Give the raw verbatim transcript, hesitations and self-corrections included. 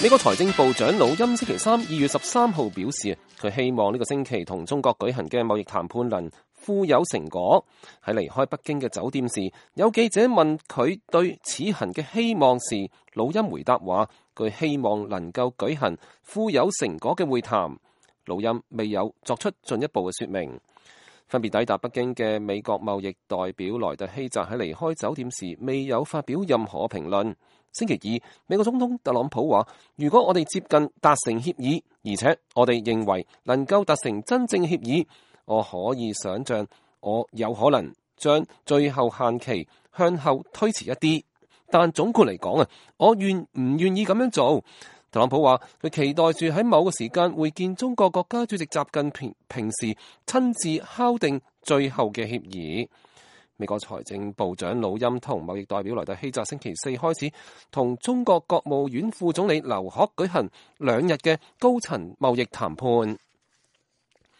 美國財政部長魯欽星期三二月十三號表示，佢希望呢個星期同中國舉行嘅貿易談判能富有成果。喺離開北京嘅酒店時，有記者問佢對此行嘅希望時，魯欽回答話，佢希望能夠舉行富有成果嘅會談。魯欽未有作出進一步嘅說明。分別抵達北京嘅美國貿易代表萊特希澤喺離開酒店時未有發表任何評論。星期二，美國總統特朗普話，如果我哋接近達成協議，而且我哋認為能夠達成真正協議，我可以想象我有可能將最後限期向後推遲一啲。但總括嚟講啊，我願唔願意咁樣做？特朗普話佢期待住喺某個時間會見中國國家主席習近平，平時親自敲定最後嘅協議。美國財政部長魯欽同貿易代表萊特希澤星期四開始同中國國務院副總理劉鶴舉行兩日嘅高層貿易談判。